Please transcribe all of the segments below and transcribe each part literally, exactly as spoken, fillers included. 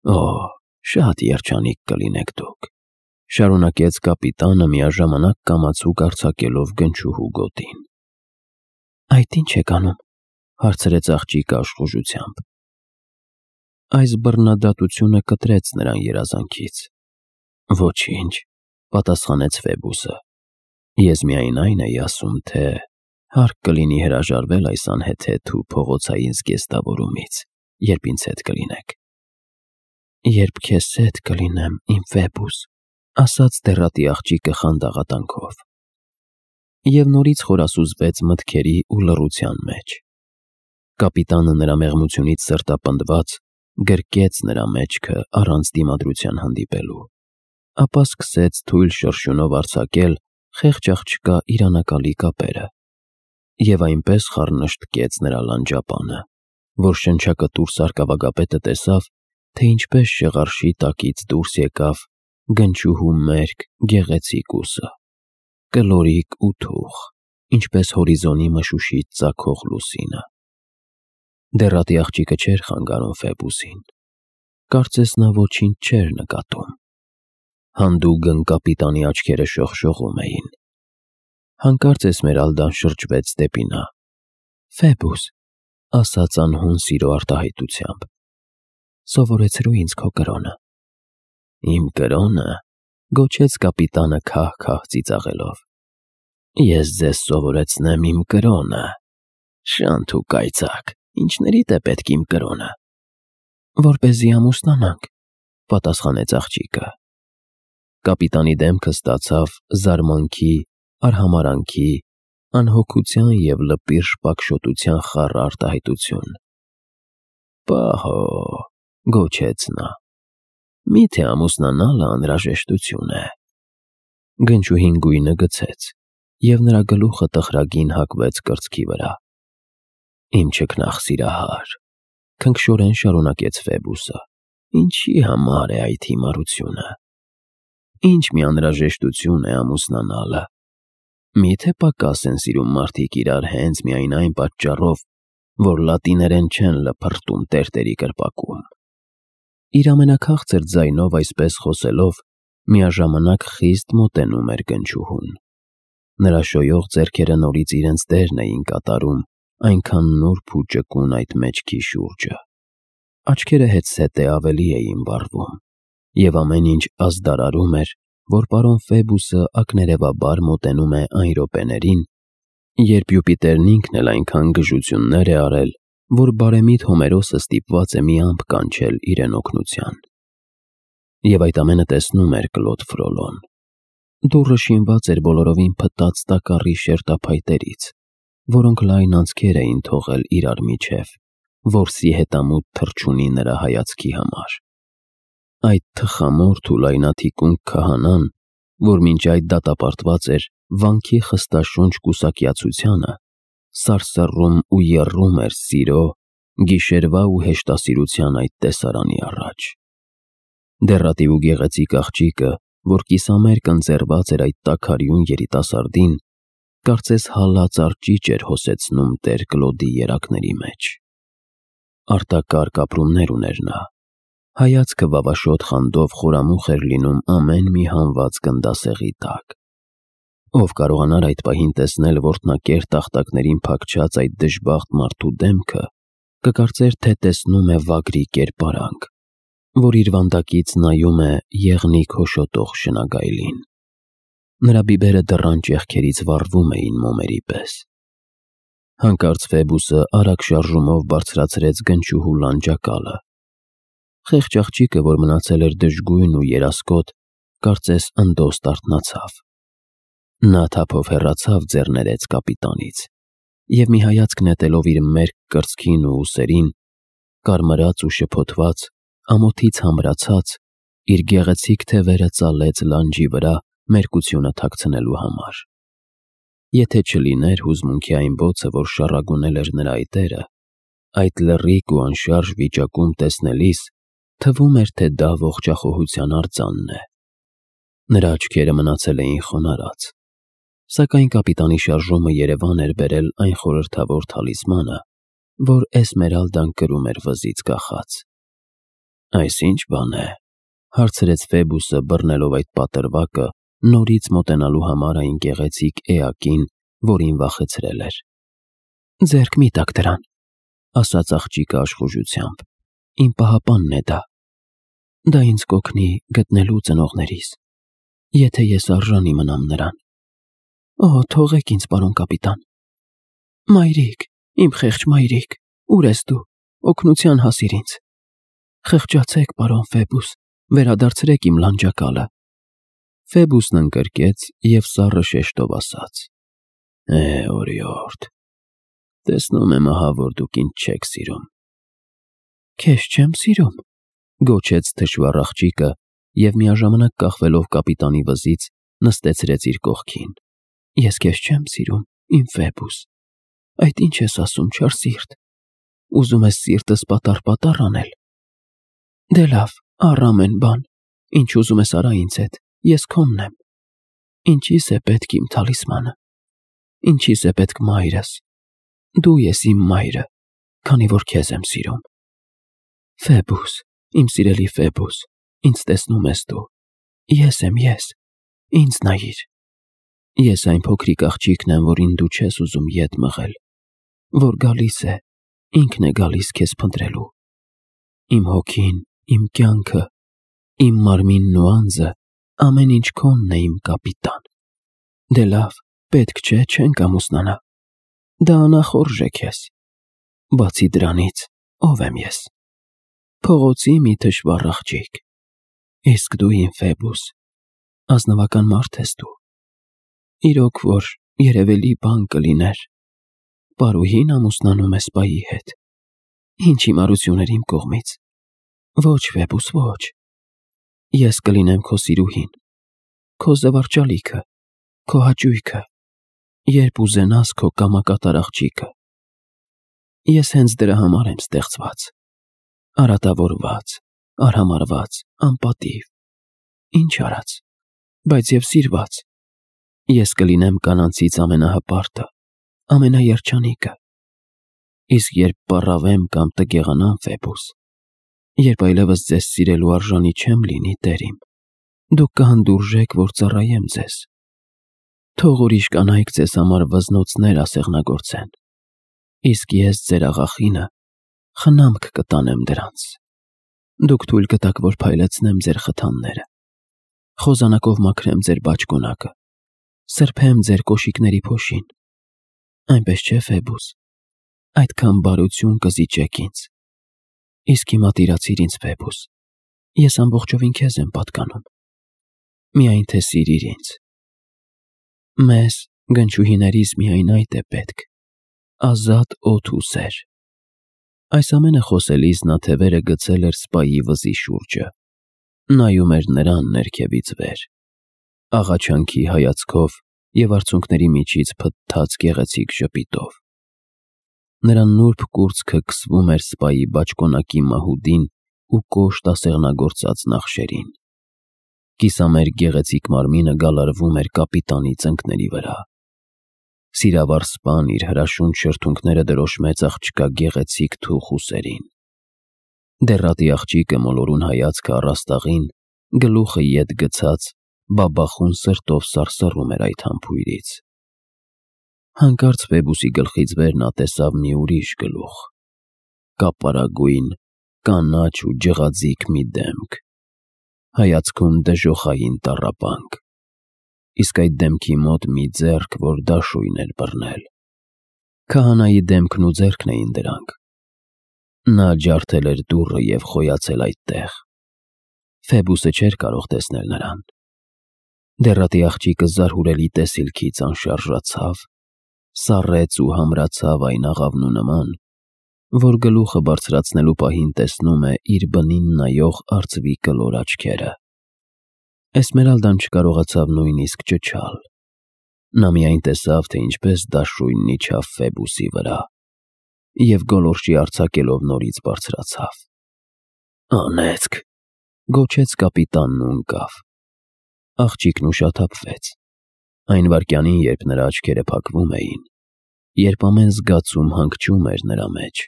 Օ, շատ երջանիկ կլինեք դուք, շարունակեց կապիտանը միաժամանակ կամացուկ արձակելով գնչուհու գոտին։ Այդ ինչ եք անում, հարցրեց աղջիկը աշխուժությամբ։ Այս բռնադատությունը կտրեց նրան երազանքից։ Ոչինչ, պատասխանեց Ֆեբուսը։ Ես միայն այն էի ասում, թե հարկ կլինի հրաժարվել այս անհեթեթ ու փողոցային զգեստավորումից, երբ ինձ հետ կլինեք։ Երբ քեզ հետ կլինեմ, իմ Ֆեբուս, ասաց դեռատի աղջիկը խանդաղատանքով։ Եվ նորից խորասուզվեց մտքերի ու լռության մեջ։ Կապիտանը նրա մեղմությունից սրտապնդված գրկեց նրա մեջքը առանց դիմադրության հանդիպելու, ապա սկսեց թույլ շրշյունով արձակել խեղճ աղջկա իր անակալի կապերը, և այնպես խառնշտկեց նրա լանջապանը, որ շնչակտուր սարկավագապետը տեսավ, թե ինչպես շեղարշի տակից դուրս եկավ գնչուհու մերկ գեղեցիկ ուսը, կլորիկ ու թուխ, ինչպես հորիզոնի մշուշից ծագող լուսինը։ Դեռատի աղջիկը չէր խանգարում Ֆեբուսին, կարծես նա ոչինչ չէր նկատում։ Հանդուգն կապիտանի աչքերը շողշողում էին։ Հանկարծ Էսմերալդան շրջվեց դեպի նա։ Ֆեբուս, ասաց անհուն սիրո արտահայտությամբ, սովորեցրու ինձ քո կրոնը։ Իմ կրոնը, գոչեց կապիտանը քահ-քահ ծիծաղելով։ Ես ձեզ սովորեցնեմ իմ կրոնը։ Շանթ ու կայծակ, ինչներիդ է պետք իմ կրոնը։ Որպեսզի ամուսնանանք, պատասխանեց աղջիկը։ Կապիտանի դեմքը ստացավ զարմանքի, արհամարանքի, անհոգության և լպիր շպակշոտության խառը արտահայտություն։ Պահո, գոչեց նա, միթե ամուսնանալը անհրաժեշտություն է։ Գնչուհին գույնը գցեց, և նրա գլուխը տխրագին հակվեց կրծքի վրա։ Իմ չքնաղ սիրահար, քնքշորեն շարունակեց Ֆեբուսը, ինչի համար է այդ հիմարությունը։ Ինչ մի անհրաժեշտություն է ամուսնանալը։ Միթե պակաս են սիրում մարդիկ իրար հենց միայն այն պատճառով, որ լատիներեն չեն լփրտում տերտերի կրպակում։ Իր ամենաքաղցր ձայնով այսպես խոսելով, միաժամանակ խիստ մոտենում էր գնչուհուն։ Նրա շոյող ձեռքերը նորից իրենց դերն էին կատարում այնքան նուրբ ու ճկուն այդ մեջքի շուրջը։ Աչքերը հետզհետե ավելի էին վառվում, և ամեն ինչ ազդարարում էր, որ պարոն Ֆեբուսը ակներևաբար մոտենում է այն րոպեներին, երբ Յուպիտերն ինքն էլ այնքան գժություններ է արել, որ բարեմիտ Հոմերոսը ստիպված է մի ամպ կանչել իրեն օգնության։ Եվ այդ ամենը տեսնում էր Կլոդ Ֆրոլոն։ Դուռը շինված էր բոլորովին փտած տակառի շերտափայտերից, որոնք լայն անցքեր էին թողել իրար միջև, որսի հետամուտ թռչունի նրա հայացքի համար։ Այդ թխամորթ ու լայնաթիկունք քահանան, որ մինչ այդ դատապարտված էր վանքի խստաշունչ կուսակյացությանը, սարսռում ու եռում էր սիրո, գիշերվա ու հեշտասիրության այդ տեսարանի առաջ։ Դեռատի ու գեղեցիկ աղջիկը, որ կիսամերկ ընձեռված էր այդ տաքարյուն երիտասարդին, կարծես հալած արճիճ էր հոսեցնում տեր Կլոդի երակների մեջ։ Արտակարգ ապրումներ ուներ նա, հայացքը վավաշոտ խանդով խորամուխ էր լինում ամեն մի հանված գնդասեղի տակ։ Ով կարողանար այդ պահին տեսնել որտնակեր տախտակներին փակչած այդ դժբախտ մարդու դեմքը, կկարծեր, թե տեսնում է վագրի կերպարանք, որ իր վանդակից նայում է եղնիկ հոշոտող շնագայլին։ Նրա բիբերը դռան ճեղքերից վառվում էին մոմերի պես։ Հանկարծ Ֆեբուսը արագ շարժումով բարձրացրեց գնչուհու լանջակալը։ Խեղճ աղջիկը, որ մնացել էր դժգույն ու երասկոտ, կարծես ընդոստ արթնացավ։ Նա թափով հեռացավ ձեռներեց կապիտանից, և մի հայացք նետելով իր մերկ կրծքին ու ուսերին, կարմրած ու շփոթված, ամոթից համրացած, իր գեղեցիկ թևերը ծալեց լանջի վրա մերկությունը թաքցնելու համար։ Եթե չլիներ հուզմունքի այն բոցը, որ շառագունել էր նրա այտերը, այդ լռիկ ու անշարժ վիճակում տեսնելիս թվում էր, թե դա ողջախոհության արձանն է։ Նրա աչքերը մնացել էին խոնարհած, սակայն կապիտանի շարժումը երևան էր բերել այն խորհրդավոր թալիսմանը, որ Էսմերալդան կրում էր վզից կախած։ Այս ինչ բան է, հարցրեց Ֆեբուսը, բռնելով այդ պատրվակը, նորից մոտենալու համար այն գեղեցիկ էակին, որին վախեցրել էր։ Ձեռք մի տաք դրան, ասաց աղջիկը աշխուժությամբ, իմ պահապանն է դա։ Դա ինձ կօգնի գտնելու ծնողներիս, եթե ես արժանի մնամ նրան։ Օ, թողեք ինձ, պարոն կապիտան։ Մայրիկ, իմ խեղճ մայրիկ, ուր ես դու, օգնության հասիր ինձ։ Խղճացեք, պարոն Ֆեբուս, վերադարձրեք իմ լանջակալը։ Ֆեբուսն ընկրկեց և սառը շեշտով ասաց. Է, օրիորդ, տեսնում եմ ահա, որ դուք ինձ չեք սիրում։ Քեզ չեմ սիրում, գոչեց թշվառ աղջիկը և միաժամանակ կախվելով կապիտանի վզից նստեցրեց իր կողքին։ Ես քեզ չեմ սիրում, իմ Ֆեբուս։ Այդ ինչ ես ասում, չար սիրտ։ Ուզում ես սիրտս պատառ-պատառ անել։ Դե լավ, առ ամեն բան, ինչ ուզում ես արա ինձ հետ, ես քոնն եմ։ Ինչիս է պետք իմ թալիսմանը։ Ինչիս է պետք մայրս։ Դու ես իմ մայրը, քանի որ քեզ եմ սիրում։ Ֆեբուս, իմ սիրելի Ֆեբուս, ինձ տեսնում ես դու։ Ես եմ ես, ինձ նայիր։ Ես այն փոքրիկ աղջիկն եմ, որին դու չես ուզում ետ մղել, որ գալիս է, ինքն է գալիս քեզ փնտրելու։ Իմ հոգին, իմ կյանքը, իմ մարմինն ու անձը, ամեն ինչ քոնն է, իմ կապիտան։ Դե լավ, պետք չէ, չենք ամուսնանա։ Դա անախորժ է քեզ։ Բացի դրանից, ով եմ ես։ Փողոցի մի թշվառ աղջիկ։ Իսկ դու, իմ Ֆեբուս, ազնվական մարդ ես դու։ Իրոք որ երևելի բան կլիներ, պարուհին ամուսնանում է սպայի հետ։ Ինչ հիմարություն էր իմ կողմից։ Ոչ, Ֆեբուս, ոչ։ Ես կլինեմ քո սիրուհին, քո զվարճալիքը, քո հաճույքը, երբ ուզենաս քո կամակատար աղջիկը։ Ես հենց դրա համար եմ ստեղծված։ Արատավորված, արհամարհված, անպատիվ։ Ինչ արած, բայց և սիրված։ Ես կլինեմ կանանցից ամենահպարտը, ամենաերջանիկը։ Իսկ երբ պառավեմ կամ տգեղանամ, Ֆեբուս, երբ այլևս ձեզ սիրելու արժանի չեմ լինի, տեր իմ, դուք կհանդուրժեք, որ ծառայեմ ձեզ։ Թող ուրիշ կանայք ձեզ համար վզնոցներ ասեղնագործեն, իսկ ես, ձեր աղախինը, խնամք կտանեմ դրանց։ Դուք թույլ կտաք, որ փայլեցնեմ ձեր խթանները, խոզանակով մաքրեմ ձեր բաճկոնակը, սրբեմ ձեր կոշիկների փոշին։ Այնպես չէ, Ֆեբուս, այդքան բարություն կզիջեք ինձ։ Իսկ հիմա տիրացիր ինձ, Ֆեբուս, ես ամբողջովին քեզ եմ պատկանում։ Միայն թե սիրիր ինձ։ Մեզ, գնչուհիներիս, միայն այդ է պետք, ազատ օդ ու սեր։ Այս ամենը խոսելիս նա թևերը գցել էր սպայի վզի շուրջը, նայում էր նրան ներքևից վեր, աղաչանքի հայացքով և արցունքների միջից փթթած գեղեցիկ ժպիտով։ Նրա նուրբ կուրծքը քսվում էր սպայի բաճկոնակի մահուդին ու կոշտ ասեղնագործած նախշերին։ Կիսամերկ գեղեցիկ մարմինը գալարվում էր կապիտանի ծնկների վրա։ Սիրավար սպան իր հրաշուն շրթունքները դրոշմեց աղջկա գեղեցիկ թուխ ուսերին։ Դեռատի աղջիկը մոլորուն հայացքը առաստաղին, գլուխը ետ գցած, բաբախուն սրտով սարսռում էր այդ համբույրից։ Հանկարծ Ֆեբուսի գլխից վեր նա տեսավ մի ուրիշ գլուխ, կապարագույն, կանաչ ու ջղաձիգ մի դեմք, հայացքում դժոխային տառապանք, իսկ այդ դեմքի մոտ մի ձեռք, որ դաշույն էր բռնել։ Քահանայի դեմքն ու ձեռքն էին դրանք։ Նա ջարդել էր դուռը և խոյացել այդտեղ։ Ֆեբուսը չէր կարող տեսնել նրան։ Դեռատի աղջիկը զարհուրելի տեսիլքից անշարժացավ, սառեց ու համրացավ այն աղավնու նման, որ գլուխը բարձրացնելու պահին տեսնում է իր բնին նայող արծվի կլոր աչքերը։ Էսմերալդան չկարողացավ նույնիսկ ճչալ։ Նա միայն տեսավ, թե ինչպես դաշույնն իջավ Ֆեբուսի վրա և գոլորշի արձակելով նորից բարձրացավ։ Անեծք, գոչեց կապիտանն ու ընկավ։ Աղջիկն ուշաթափվեց։ Այն վայրկյանին, երբ նրա աչքերը փակվում էին, երբ ամեն զգացում հանգչում էր նրա մեջ,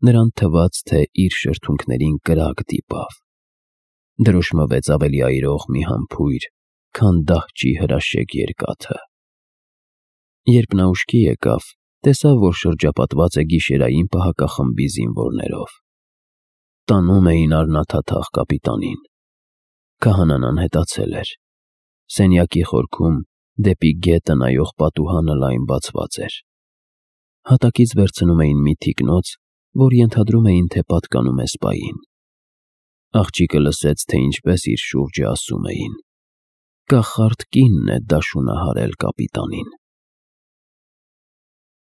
նրան թվաց, թե իր շրթունքներին կրակ դիպավ։ Դրոշմվեց ավելի այրող մի համբույր, քան դահճի հրաշեկ երկաթը։ Երբ նա ուշքի եկավ, տեսավ, որ շրջապատված է գիշերային պահակախմբի զինվորներով։ Տանում էին առնաթաթախ կապիտանին։ Քահանան անհետացել էր։ Սենյակի խորքում դեպի գետը նայող պատուհանը լայն բացված էր։ Հատակից վերցնում էին մի թիկնոց, որ ենթադրում էին, թե պատկանում է սպային։ Աղջիկը լսեց, թե ինչպես իր շուրջը ասում էին. «Կախարդ կինն է դաշունը հարել կապիտանին»։